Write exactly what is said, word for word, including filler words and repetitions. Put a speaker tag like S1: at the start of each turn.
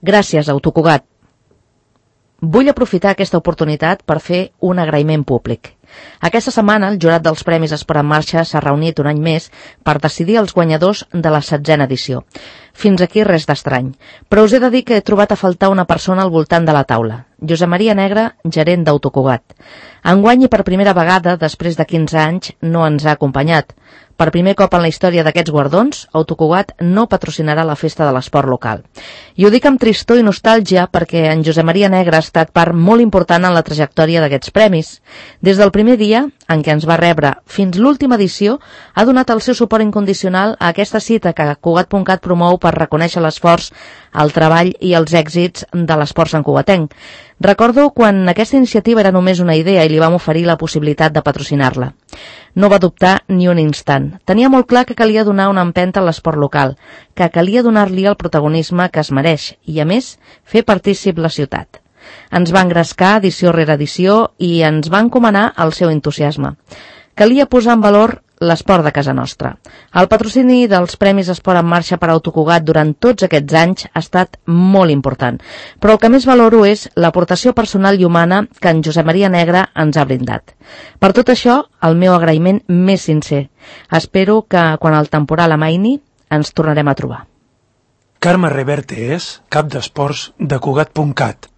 S1: Gràcies, Autocugat. Vull aprofitar aquesta oportunitat per fer un agraïment públic. Aquesta setmana el jurat dels Premis Esport en Marxa s'ha reunit un any més per decidir els guanyadors de la setzena edició. Fins aquí res d'estrany, però us he de dir que he trobat a faltar una persona al voltant de la taula. Josep Maria Negre, gerent d'Autocugat. Enguany i per primera vegada, després de quinze anys, no ens ha acompanyat. Per primer cop en la història d'aquests guardons, Autocugat no patrocinarà la festa de l'esport local. I ho dic amb tristor i nostàlgia perquè en Josep Maria Negre ha estat part molt important en la trajectòria d'aquests premis. Des del primer dia en què ens va rebre fins l'última edició, ha donat el seu suport incondicional a aquesta cita que Cugat punt cat promou per reconèixer l'esforç, el treball i els èxits de l'esport santcugatenc. Recordo quan aquesta iniciativa era només una idea i li vam oferir la possibilitat de patrocinar-la. No va dubtar ni un instant. Tenia molt clar que calia donar una empenta a l'esport local, que calia donar-li el protagonisme que es mereix i, a més, fer partícip la ciutat. Ens va engrescar edició rere edició i ens va encomanar el seu entusiasme. Calia posar en valor l'esport de casa nostra. El patrocini dels Premis Esport en Marxa per Autocugat durant tots aquests anys ha estat molt important, però el que més valoro és l'aportació personal i humana que en Josep Maria Negre ens ha brindat. Per tot això, el meu agraïment més sincer. Espero que, quan el temporal amaini, ens tornarem a trobar.
S2: Carme Reverte és cap d'esports de Cugat punt cat.